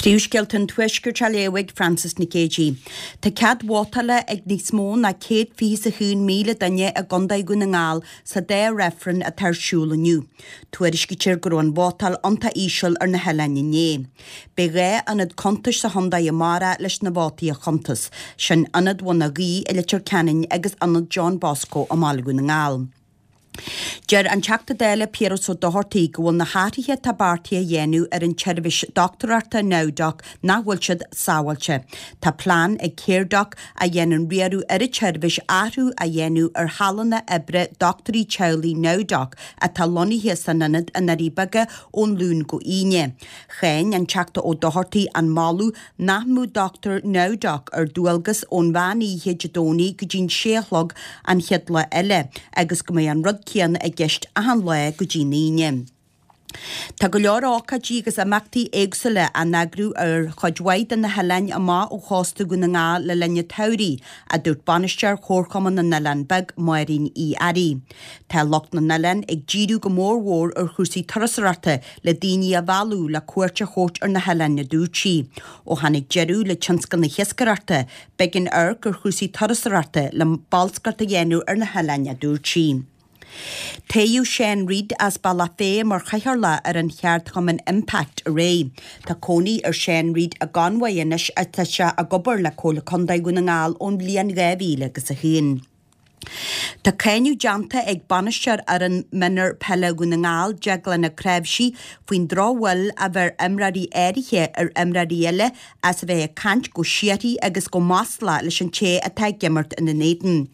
Príomhscéalta an Tuaiscirt á léamh ag Frances Nic Géadaigh. Tá cead vótála ag níos mó ná 121,000 duine i gContae Dhún na nGall sa dá reifreann atá ar siúl inniu. Tuairiscítear go raibh an vótáil iontach íseal ar na hoileáin inné. Beidh 2 ionad cuntais sa chontae amárach leis na vótaí a chuntas, sin Ionad Bhun a' Ghaoith i Leitir Ceanainn agus Ionad John Bosco i mBaile Dhún na nGall. Deir an Teachta Dála Piaras Ó Dochartaigh go bhfuil na hathruithe atá beartaithe a dhéanamh ar an tseirbhís dochtúireachta NowDoc nach bhfuil siad sábháilte. Tá plean ag Caredoc, a dhéanann riaradh ar an tseirbhís, athrú a dhéanamh ar shealanna oibre dochtúirí teaghlaigh NowDoc atá lonnaithe san ionad i nDoirí Beaga ón Luan go hAoine. Cháin an Teachta Ó Dochartaigh an moladh nach mbeadh dochtúir NowDoc ar dualgas ón mheán oíche Dé Domhnaigh go dtí'n sé a chlog an chéad lá eile agus go mbeadh an rud céanna i gceist achan lá go dtí'n Aoine. Tá go leor ócáidí agus imeachtaí éagsúla á n-eagrú ar chuid mhaith de na hoileáin amach ó chósta Dhún na nGall le linn an tsamhraidh, a dúirt Bainisteoir Chomharchumann na nOileán Beag, Máirín Uí Fhearraigh. Tá lucht na n-oileán ag díriú go mór mhór ar chúrsaí turasóireachta le daoine a mhealladh le cuairt a thabhairt ar na hoileáin, a dúirt sí. Ó tháinig deireadh le tionscal na hiascaireachta, b'éigean amharc ar chúrsaí turasóireachta le bolscaireacht a dhéanamh ar na hoileáin, a dúirt sí. Toghadh Seán Reid as Bealach Féich mar chathaoirleach ar an cheardchumann Impact aréir. Tá cónaí ar Seán Reid i gConmhaigh anois ach tá sé ag obair le Comhairle Contae Dhún na nGall ón bhliain 2001. Tá cáineadh déanta ag bainisteoir fhoireann mionúr peile Dhún na nGall, Deaglán Ó Cnáimhsí, faoin drochbhail a bheir imreoirí áirithe ar imreoirí eile as a bheith ag caint go síoraí agus go maslach leis an té atá ag imirt ina n-éadan.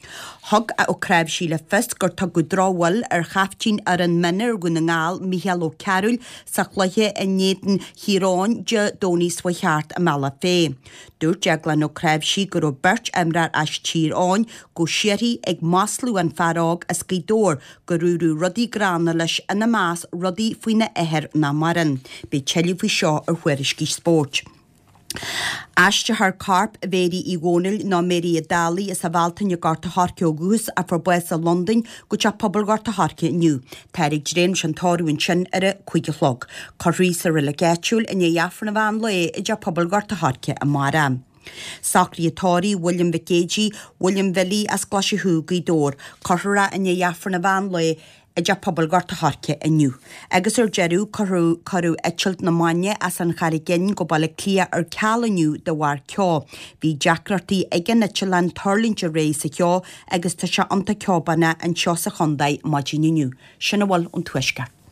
Thug Ó Cnáimhsí le fios gur tugadh drochbhail ar chaiftín fhoireann mionúr Dhún na nGall, Mícheál Ó Cearúil, sa chluiche in éadan Thír Eoghain Dé Domhnaigh seo chuaigh thart i mBealach Féich. Dúirt Deaglán Ó Cnáimhsí go raibh beirt imreoir as Tír Eoghain go síoraí ag maslú an fear óg as Gaoth Dobhair gur dúradh rudaí gránna leis ina measc rudaí faoina athair nach maireann. Beidh tuilleadh faoi seo ar Thuairiscí Spóirt. Aistreofar corp Mhéirí Uí Dhónaill nó Mary an Dálaigh as an Bhealtaine i nGort a' Choirce ó dhúchas a fuair bás i Londain go Teach Pobail Ghort a' Choirce inniu. Táthar ag dréim leis an tórramh ansin ar a 5 a chlog. Cuirfear í sa reilig áitiúil i ndiaidh Aifreann an mheán lae i dTeach Pobail Ghort a' Choirce amárach. Socruithe tórraimh William Mhic Géidigh, William Bhilly as Glaise Chú, Gaoth Dobhair. Cuirfear é i ndiaidh Aifreann an mheán lae i dTeach Pobail Ghort a' Choirce inniu. Agus ar deireadh, cuireadh cuireadh eitilt na mbainne as an Charraig Fhinn go Baile Átha Cliath ar ceal inniu de bharr ceo. Bhí deacrachtaí ag an eitleán tuirlingt aréir sa cheo agus tá sé iontach ceobánach anseo sa chontae maidin inniu. Sin a bhfuil ón Tuaisceart.